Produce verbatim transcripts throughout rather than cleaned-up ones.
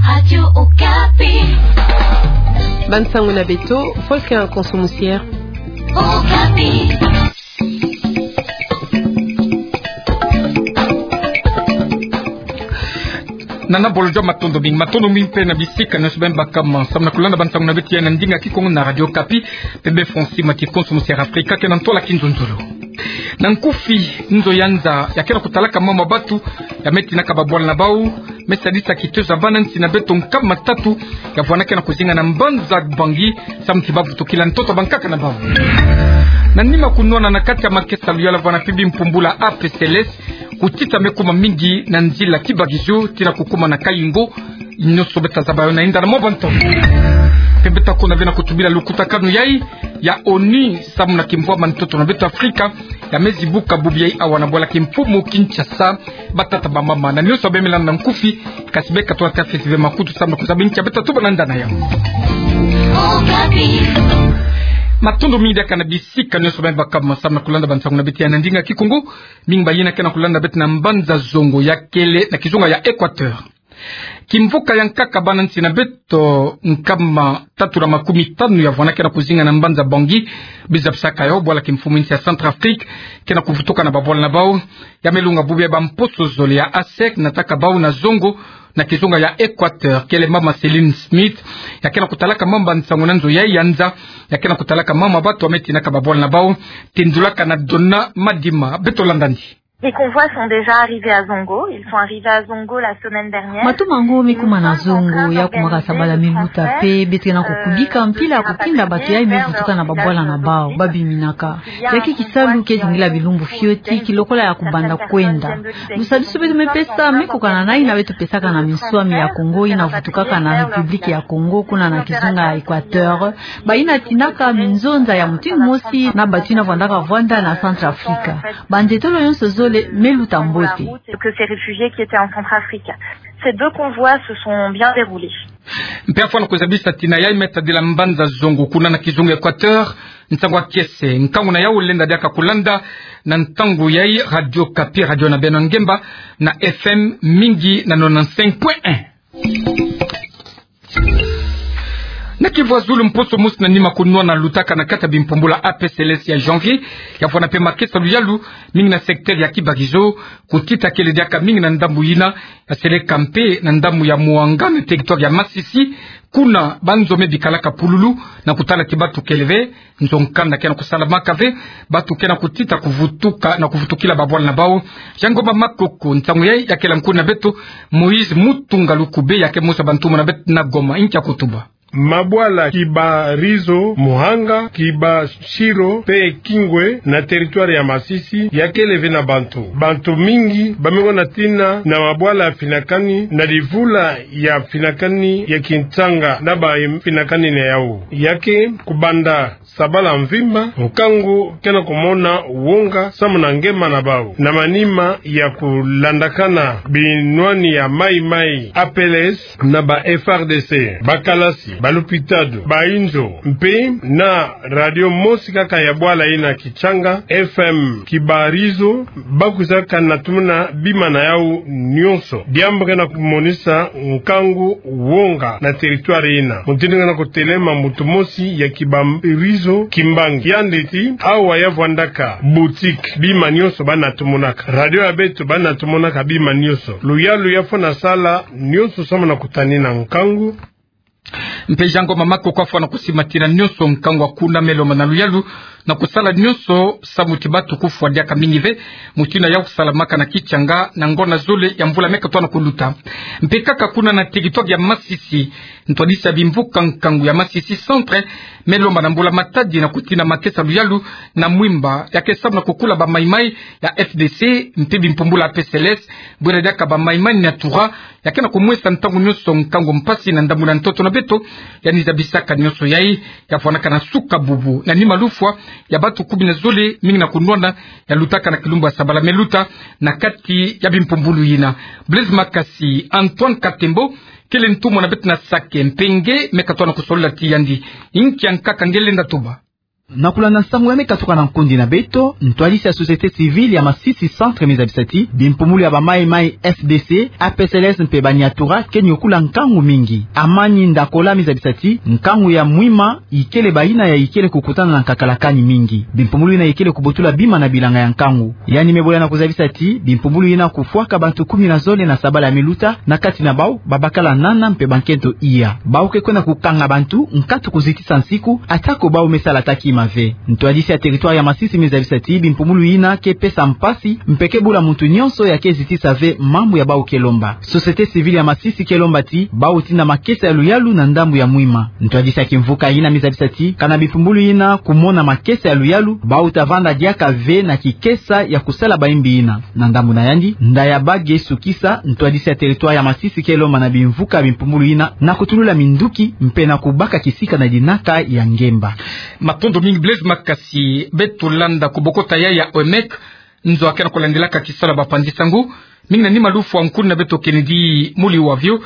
Radio Okapi. Bansango na beto, Volker Nkonso Musiere. Okapi. Nana Bolojo, matondo mingi, matondo mingi mpe na bisika nyonso beno bakama samu na kulanda bansango na beto ya na ndinga Kikongo na Radio Okapi, mpe beno fweti mati Nkonso Musiere Afrika ke na ntola kinzonzolo. Na nkufi, nzo ya nza ya ke na kutalaka mambu ya bantu ya me tinaka babwala na bau, me sadisa kitezo ya bana nsi na beto nkama tatu ya vwanda ke na kuzinga na mbanza Bangui, samu ti ba vutukila ntoto ya bankaka na bau. Na nima kunwana na kati ya makesa luyalu ya vwanda mpe bimpumbulu ya A P C L S, kutita me kuma mingi na nzila Kibakizio tii na kukuma na Kayingo, nyonso beta zaba yo na inda na mwa bantu. Mpe beta kona ve na kutubila lukutakanu yai ya ONU samu na kimvwama ntoto na beto Afrika, ya me zibuka bubu yai awa na bwala kimfumu Kinshasa. Batata, bamama, na nyonso beno me landa na nkufi, kasi beka twa tafeti ve makutu samu na kuzaba nki ya beta tuba na ndani yau. Matondo mingi diaka na bisika nyonso beno bakama samu na kulanda bansango na beto ya na ndinga Kikongo. Mingi bayina ke na kulanda beto na mbanza zongo ya kele na kizunga ya Equateur. Kimvuka ya nkaka bana nsi na beto nkama tatu na makumi tanu ya vwanda ke na kuzinga na mbanza Bangui, biza bisaka yo bwala kimfumu nsi ya Centrafrique ke na kuvutuka na babwala na bau. Ya me lunga bubu ya bamposo zole ya ASEC nataka bau na zongo na kizunga ya Equateur, kele mama Céline Smith, ya ke na kutalaka mambu ya nsangu na nzo yai ya nza, ya ke na kutalaka mambu ya bantu ya me tinaka babwala na bau. Tindulaka na Donna Madima, beto landa ndi. Les convois sont déjà arrivés à Zongo. Ils sont arrivés à Zongo la semaine dernière. Matoma yango me kuma na zongo, ya kumaka sabala me luta, mpe beto ke na kukubika mpila ya kutinda bantu yai me vutuka na babwala na bau, ba biminaka. Ya ke kisalu ke zingila bilumbu fioti, ki lokola ya kubanda kwenda. Lusadisu beto me pesa, me kokana na yina beto pesaka na minswami ya Congo, yina vutukaka na République ya Congo, kuna na kizunga ya Equateur. Bayina tinaka minzonza ya mutindu mosi na bantu yina vwandaka vwanda na Centrafrique. Bantetolo nyonso zole me luta mbote. Que ces réfugiés qui étaient en Centrafrique. Ces deux convois se sont bien déroulés. Mpe afwana kuzabisa tina yai me tadila mbanza zongo kuna na kizunga Equateur, ntangu ya kiese, nkangu na yau lenda diaka kulanda na ntangu yai Radio Okapi, radio na beno ngemba, na F M mingi na nonante-cinq point un. Na kivwazulu, mposo mosi na nima kunwana lutaka na kati ya bimpumbulu ya A P C L S ya janvier, ya vwanda mpe makesa luyalu mingi na secteur ya Kibakizio, kutita kele diaka mingi na ndambu yina ya Seleka mpe na ndambu ya Muanga na territoire ya Masisi, kuna banzo me bikalaka pululu na kutala ti bantu kele ve, nzo nkanda ke na kusalamaka ve, bantu ke na kutita kuvutuka na kuvutukila babwala na bau. Jean Ngoma Makoko, ntangu yai ya kela nkuna beto Moïse Mutunga Lukube, ya ke mosi ya bantu mona beto na Goma, nki ya kutuba. Mabwala Kibarizo, Muhanga, Kibashiro mpe Kingwe na territoire ya Masisi ya kele ve na bantu. Bantu mingi ba me ngonda tina na mabwala ya finakani na livula ya finakani ya kintanga na ba finakani na yau. Ya ke kubanda sabala mvimba, nkangu ke na kumona wonga samu na ngema na bau, na manima ya kulandakana binwani ya maimai, A P L S, na ba F R D C, bakalasi, balupitalu, bainzo, mpe na radio mosi kaka ya bwala yina Kichanga, F M Kibarizo, ba kwizaka na tumuna bima na yau nyonso. Diambu ke na kumonisa nkangu wonga na territoire yina. Mutindu ke na kutelema muntu mosi ya Kibarizo kimbangi. Yandi ti awa ya vwandaka boutique, bima nyonso ba na tumunaka. Radio ya beto ba na tumunaka bima nyonso. Luyalu ya fwana sala nyonso samu na kutanina nkangu. Mpe Jean Ngoma Makoko afwana kusimatila nyonso nkangu ya kuna, me lomba na luyalu na kusala nyonso samu ti bantu kufwa diaka mingi ve, mutindu yau kusalamaka na Kichanga na ngonda zole ya mvula me katuka na kuluta. Mpe kaka kuna na territoire ya Masisi, ntwadisi ya bimvuka nkangu ya Masisi Centre me lomba na mbula-matadi na kutina makesa luyalu na mwimba ya ke samu na kukula bamaimai ya F D C mpe bimpumbulu ya A P C L S, bwela diaka bamaimai Nyatura ya ke na kumwesa ntangu nyonso nkangu mpasi na ndambu na ntoto na beto. Yandi zabisaka nyonso yai ya vwanaka na suka bubu na nima lufwa ya bantu kumi na zole, mingi na kunwana, ya lutaka na kilumbu ya sabala me luta na kati ya bimpumbulu yina. Blaise Makasi, Antoine Katembo kele ntumwa na beto na Sake, mpe nge me katuka na kusolola ti yandi. Nki ya nkaka nge lenda tuba. Na kulanda nsangu ya me katuka na nkundi na beto, ntwadisi ya société civile ya Masisi Centre me zabisa ti bimpumbulu ya ba Mai Mai, F D C, A P C L S mpe ba Nyatura ke nyokula nkangu mingi. Amani Ndakola me zabisa ti nkangu ya Mwima ikele bayina ya ikele kukutana na nkakalakani mingi. Bimpumbulu yina ikele kubotula bima na bilanga ya nkangu. Yandi me bola na kuzabisa ti bimpumbulu yina kufwaka bantu kumi na zole na sabala ya me luta, na kati na bau babakala nana mpe bankento iya. Bau ke kwenda kukanga bantu, nkatu kuzitisa nsiku, atako bau me sala ata kima ve. Ntwadisi ya territoire ya Masisi me zabisa ti bimpumbulu yina ke pesa mpasi, mpe ke bula muntu nyonso ya ke zitisa ve mambu ya bau ke lomba. Société civile ya Masisi ke lomba ti bau tinda makesa ya luyalu na ndambu ya Mwima. Ntwadisi ya kimvuka yina me zabisa ti kana bimpumbulu yina kumona makesa ya luyalu, bau ta vanda diaka ve na kikesa ya kusala bayimbi yina. Na ndambu na yandi, nda ya bage sukisa, ntwadisi ya territoire ya Masisi ke lomba na bimvuka bimpumbulu yina na kutulula minduki mpe na kubaka kisika na dinaka ya ngemba. Matondo mingi Blaise Makasi. Beto landa kubokota ya ya O M E C, nzo akena kulandilaka kisalu ya bapanzi nsangu, mingi na nima lufwa nkuni na beto Kennedy Muli Wavio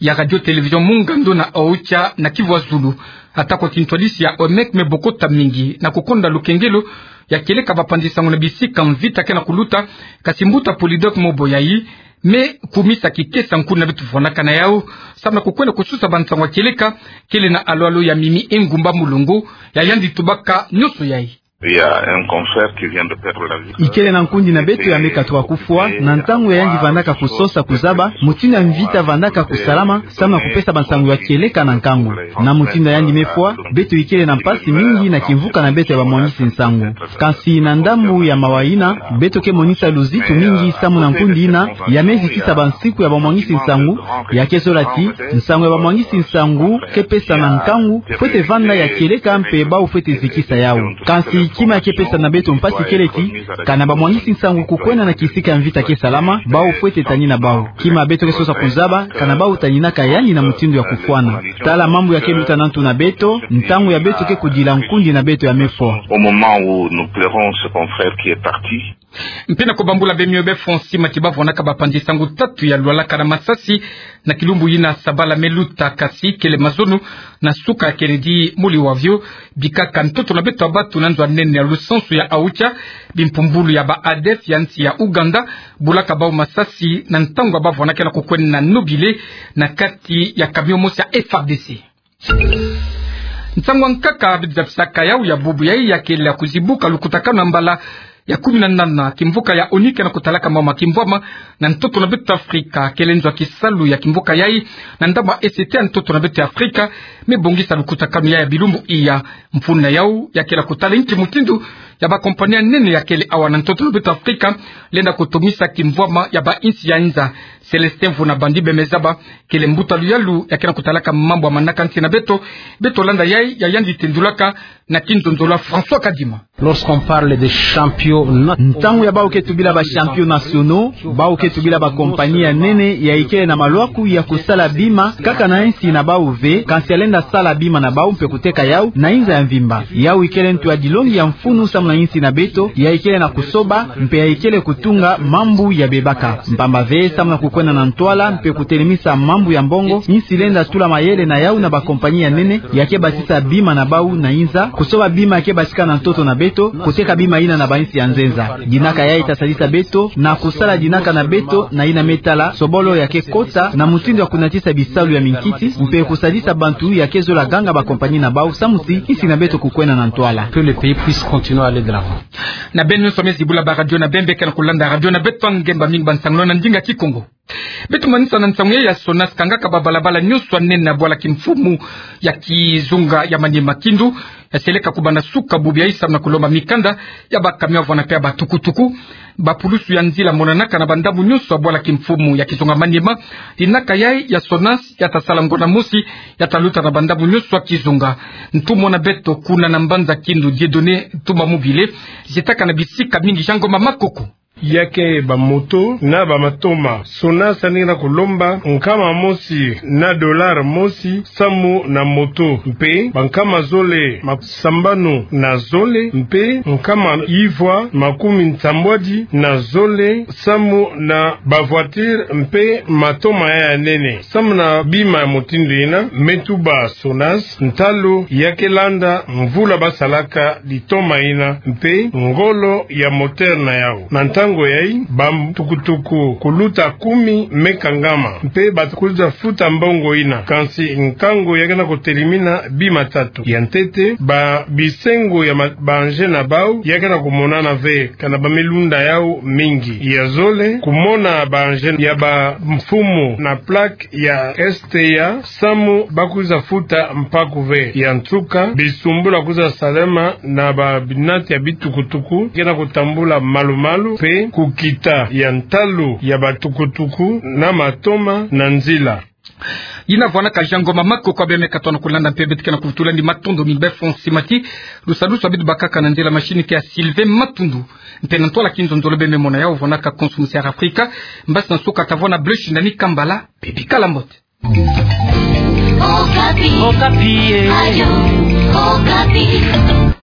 ya Radio Télévision Mungando na Aocha na Kivu ya Zulu. Atako ti ntwadisi ya O M E C me bokota mingi na kukonda lukengelo ya kieleka bapanzi nsangu na bisika mvita kena kuluta, kasi mbuta Polydor Moboyayi me kumisa kikesa nkuni na beto vwanaka na yau, samu na kukwenda kusosa bansangu ya kieleka, kele na alo-alo ya Mimi Engumba Mulongo, ya yandi tubaka nyonso yayi. Il y a un confrère qui vient de perdre la vie. Ikele na nkundi na beto ya me katuka kufwa, na ntangu ya yandi vandaka kusosa kuzaba mutindu ya mvita vandaka kusalama, samu na kupesa bansangu ya kieleka na nkangu. Na mutindu ya yandi me fwa, beto ikele na mpasi mingi na kimvuka na beto ya bamwangisi nsangu. Kasi na ndambu ya mawa yina, beto ke monisa luzitu mingi samu na nkundi yina ya me zitisa bansiku ya bamwangisi nsangu, ya ke zola ti nsangu ya bamwangisi nsangu ke pesa na nkangu, fwete vanda ya kieleka mpe bau fwete zikisa yau. Kasi kima ya ke pesa na beto mpasi kele ti kana bamwangisi nsangu kukwenda na kisika ya mvita ke salama, bau fwete tanina bau. Kima beto ke sosa kuzaba, kana bau taninaka yandi na mutindu ya kufwana. Tala mambu ya ke luta na ntu na beto, ntangu ya beto ke kudila nkundi na beto ya me fwa. Au moment où nous pleurons ce confrère qui est parti. Mpe na kubambula beno befo nsima ti bavwanaka bapanzi nsangu tatu ya lwalaka na masasi na kilumbu yina sabala me luta, kasi kele mazono na suka ya Kennedy Muli Wavio, bikaka ntoto na beto ya batu na nzo ya nene ya lusansu ya Aocha, bimpumbulu ya ba A D F ya nsi ya Ouganda bulaka bau masasi na ntangu ya bavwanaka na kukwenda na nobile na kati ya camion mosi ya F R D C. Nsangu ya nkaka beto zabisaka yau ya bubu yayi ya kele ya kuzibuka lukutakanu ya mbala ya kumi na nana kimvuka ya ONU kena kutalaka mama kimvwama na ntoto na beto Afrika. Kele nzo ya kisalu ya kimvuka yayi na ndambu ya E C T ya ntoto na beto ya Afrika me bongisa lukutakanu yayi ya bilumbu iya. Mfunu na yau ya kele ya kutala inki mutindu ya ba compagnie ya nene ya kele awa na ntoto na beto Afrika lenda kutomisa kimvwama ya ba insi ya nza. Célestin Mvuna Bandi Bemezaba kele mbuta luyalu ya kena kutalaka mambu ya manaka nsi na beto. Beto landa yayi ya yandi tendulaka na kinzonzolo ya François Kadima. Lorsqu'on parle de champions na- Ntangu ya bau ke tubila ba champions nationaux, bau ke tubila ba compagnie ya nene ya ikele na malwaku ya kusala bima, kaka na insi na bau ve, kansi ya lenda sala bima na bau mpe kuteka yau na inza ya mvimba. Yau ikele ntu ya dilongi ya mfunu samu na insi na beto, ya ikele na kusoba, mpe ya ikele kutunga mambu ya bebaka. Mpamba ve, samu na kukwenda na ntwala, mpe kutelemisa mambu ya mbongo, insi lenda tula mayele na yau na ba compagnie ya nene, ya ke basisa bima na bau na inza, kusoba bima ya ke basika na ntoto na beto, kuteka bima yina na ba insi ya nzenza. Dinaka yayi ta sadisa beto na kusala dinaka na beto na yina me tala sobolo ya ke kota na mutindu ya kunatisa bisalu ya minkiti, mpe kusadisa bantu ya ke zola ganga ba compagnie na bau samu ti insi na beto kukwenda na ntwala. Que le pays puisse continuer à aller de l'avant. Na beno nyonso me zibula ba radio na bembe kena kulanda radio na beto, ngemba mingi ba nsangu na ndinga Kikongo. Beto manisa na nsangu ya SONAS kangaka ba balabala nyonso ya nene na bwala kimfumu ya kizunga ya Maniema, Kindu, ya seleka kubanda suka bubu yayi samu na kulomba mikanda ya ba camion, vwana mpe ya ba tukutuku. Ba pulusu ya nzila monanaka na ba ndambu nyonso ya bwala kimfumu ya kizunga Maniema. Dinaka yayi ya SONAS ya ta sala ngonda mosi, ya ta luta na ba ndambu nyonso ya kizunga. Ntumwa na beto kuna na mbanza Kindu, Dieudonné Tumba Mobile, zietaka na bisika mingi. Jean Ngoma Makoko. Ya ke ba moto na ba matoma, SONAS yandi ke na kulomba nkama mosi na dollar mosi samu na moto, mpe ba nkama zole ma sambanu na zole, mpe nkama ivwa makumi nsambwadi na zole samu na ba voiture mpe matoma ya nene. Samu na bima ya motindo ina, me tuba SONAS ntalu ya ke landa mvula ba salaka litoma ina mpe ngolo ya moteur na yau. Na ntangu yayi, ba tukutuku kuluta kumi me kangama, mpe ba kwiza futa mbongo ina. Kansi nkangu ya ke na kutelimina bima tatu. Ya ntete, ba bisengo ya ma-, ba engins na bau ya ke na kumonana ve, kana ba me lunda yau mingi. Ya zole, kumona ba engins ya ba mfumu na plaque ya S T A, samu ba kwiza futa mpaku ve. Ya nsuka, bisumbula kwiza salama na ba binati ya bitukutuku ke na kutambula malu-malu, mpe kukita ya ntalu ya ba tukutuku na matoma na nzila. Yina vwanaka Jean Ngoma Makoko, bia me katona kulanda mpe beto ke na kuvutulandi matondo mingi be Fonsi Mati. Lusadusu ya beto bakaka na nzila machine ke ya Sylvain Matundu. Mpe na ntwala kinzonzolo bia me mona yau vwanaka Konso Musi Air Afrika. Mbasi na nsuka tavwanda Bleu Shindani Kambala. Bibi kala mbote. Okapi. Okapi, eh. Radio Okapi.